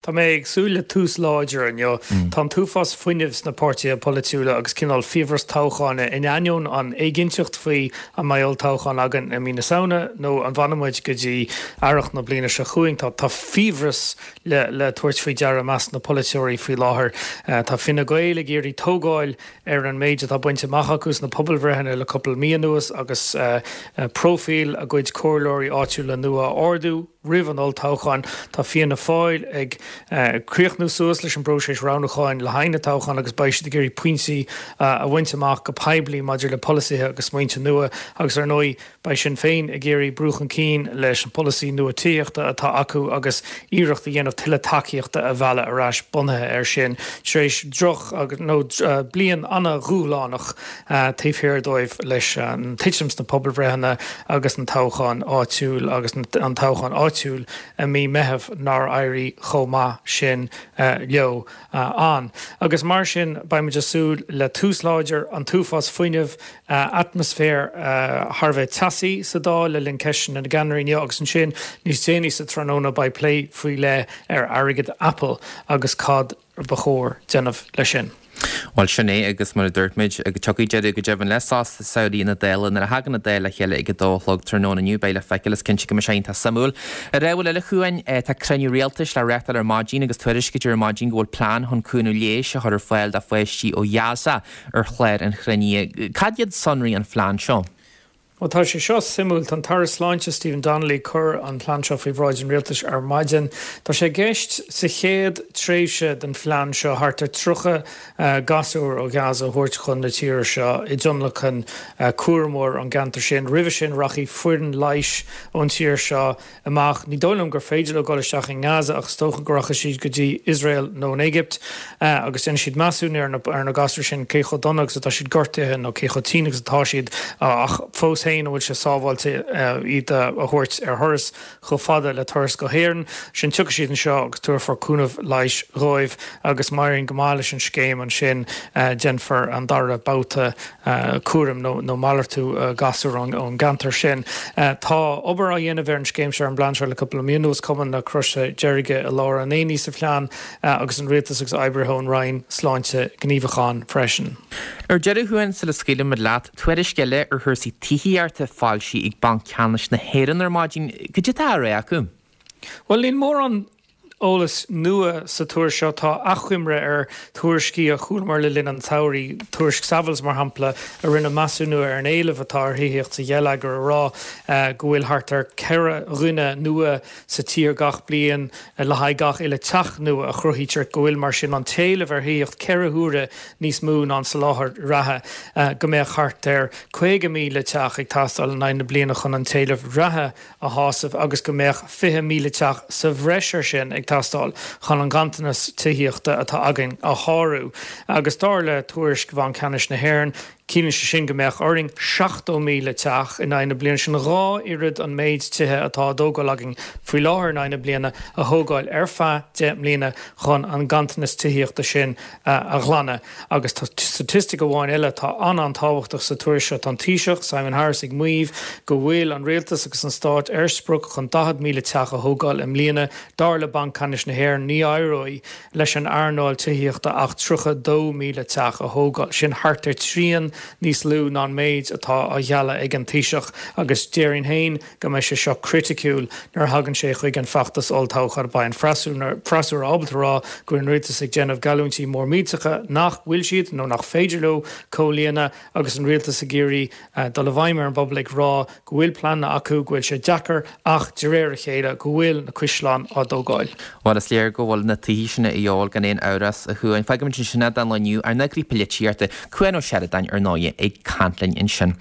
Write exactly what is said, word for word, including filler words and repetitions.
Tá mé ag súil le tús láidir inniu. Tá an t-uafás fuinnimh sna páirtithe polaitiúla agus cineál fiabhras toghcháin in ainneoin an éiginnteacht faoi an mbeidh olltoghchán againn i mí na Samhna nó an bhfanfaidh muid go dtí earrach na bliana seo chugainn. Tá tá fiabhras le le tabhairt faoi deara i measc na polaiteoirí faoi láthair. Tá Fine Gael ag iarraidh tógáil ar an méid atá bainte amach acu sna pobalbhreitheanna le cúpla mí anuas agus próifíl a gcuid comhairleoirí áitiúla nua a ardú. Roimh an olltoghchán, tá Fianna Fáil ag críochnú suas leis an bpróiseas roghnúcháin le haghaidh na toghchán agus beidh siad ag iarraidh pointí a bhaint amach go poiblí maidir le polasaithe agus smaointe nua agus ar ndóigh beidh Sinn Féin ag iarraidh brú chun cinn leis an bpolasaí nua tithíochta atá acu agus iarracht a dhéanamh tuilleadh tacaíochta a mhealladh ar ais bunaithe air sin tar éis droch nó bliain an-dhúshlánach taobh thiar dóibh leis an titim sna pobalbhreitheanna agus an toghchán áitiúil agus an toghchán áitiúil i mí Meitheamh nár éirigh chomh maith sin leo ann. Agus mar sin beidh muid ag súil le tús láidir, an t-uafás fuinnimh, atmaisféar thar a bheith teasaí sa Dáil le linn ceisteanna na gceannairí inniu agus ansin níos déanaí sa tráthnóna beidh plé faoi leith ar airgead Apple agus cad ba chóir déanamh leis sin. Bhuel, sin é, agus mar a dúirt muid, tiocfaidh deireadh go deimhin le sos samhraidh na Dála. Nuair a thagann an Dáil le chéile ag a dó a chlog tráthnóna inniu, beidh le feiceáil, is cinnte go mbeidh sé iontach suimiúil. Ar ábhar eile chugainn, tá cruinniú rialtais le reáchtáil ar maidin agus tuairiscítear ar maidin go bhfuil plean chun cúnamh leighis a chur ar fáil do pháistí ó Ghaza ar chlár an chruinnithe. Cad iad sonraí an phlean seo? Bhuel, tá sé seo suimiúil. Tá an tAire Sláinte Stephen Donnelly ag cur an plean seo faoi bhráid an Rialtais ar maidin. Tá sé i gceist sa chéad tréimhse den phlean seo thart ar tríocha gasúr ó Ghaza a thabhairt chun na tíre seo i dtionlacan cúramóir ón gceantar sin. Roimhe sin rachaidh foireann leighis ón tír seo amach. Ní dóigh liom gur féidir leo dul isteach i nGaza ach is dócha go rachaidh siad go dtí Iosrael nó an Éigipt agus déanfaidh siad measúnú ar na ar na gasúir sin, cé chomh dona agus atá siad gortaithe nó cé chomh tinn agus atá siad ach fós féin an bhfuil sé sábháilte iad a thabhairt ar thuras chomh fada le turas go hÉirinn. Sin tiocfaidh siad anseo agus tabharfar cúnamh leighis dhóibh agus má éiríonn go maith leis an scéim ansin déanfar an dara babhta cúraim nó malartú gasúr ón gceantar sin. Tá obair á dhéanamh ar an scéim seo, ar an bplean seo le cúpla mí anuas, Cumann na Croise Deirge i lár an aonaigh sa phlean agus an Rialtas agus oibrithe ón Roinn Sláinte gníomhach ann freisin. Ar deireadh, a Chuain, sula scaoilfimid leat, tuairisc eile ar chúrsaí tithíochta foilsithe ag Banc Ceannais na hÉireann ar maidin. Cad é atá á rá acu? Bhuel, níl mórán eolas nua sa tuairisc seo. Tá achoimre ar thuairiscí a chualamar le linn an tsamhraidh, tuairisc Savills, mar shampla, a rinne measúnú ar an éileamh atá ar thithíocht sa gheilleagar, ag rá go bhfuil thart ar ceithre dhuine nua sa tír gach bliain le haghaidh gach uile teach nua a chruthaítear, go bhfuil, mar sin, an t-éileamh ar thithíocht ceithre huaire níos mó ná an soláthar reatha, go mbeadh thart ar caoga míle teach ag teastáil in aghaidh na bliana chun an t-éileamh reatha a shásamh agus go mbeadh fiche míle teach sa bhreis air sin ag teastáil chun an ganntanas tithíochta atá againn a shárú. Agus dar le tuairisc Bhanc Ceannais na hÉireann, ciallaíonn sé sin go mbeadh orainn seachtó míle teach in aghaidh na bliana, sin dhá oiread an méid tithe atá á dtógáil againn faoi láthair in aghaidh na bliana, a thógáil ar feadh deich mbliana chun an ganntanas tithíochta sin a ghlanadh. Agus tá staitistic amháin eile atá an-an-tábhachtach sa tuairisc seo, tá an Taoiseach, Simon Harris, ag maíomh go bhfuil an rialtas agus an stát ar sprioc chun daichead míle teach a thógáil i mbliana. Dar le Banc Ceannais na hÉireann, ní éireoidh leis an earnáil tithíochta ach tríocha dó míle teach a thógáil, sin thart ar trian níos lú ná an méid atá á ghealladh ag an Taoiseach agus déarfainn féin go mbeidh sé seo criticiúil nuair a thagann sé chuig an bhfeachtas olltoghcháin. Beidh an freasúra ábalta a rá go bhfuil an rialtas ag déanamh geallúintí mór millteacha nach bhfuil siad nó nach féidir leo comhlíonadh agus an rialtas ag iarraidh dul i bhfeidhm ar an bpobal ag rá go bhfuil pleananna acu, go bhfuil sé deacair ach de réir a chéile go bhfuil na caisleáin á dtógáil. Bhuel, is léir go bhfuil na tithe sin a dhíobháil gan aon amhras, a Chuain. Fágfaimid ansin é don lá inniu, ár n-eagraí polaitíochta, Cuan Ó Seireadáin, ar ndóigh, ag caint linn ansin.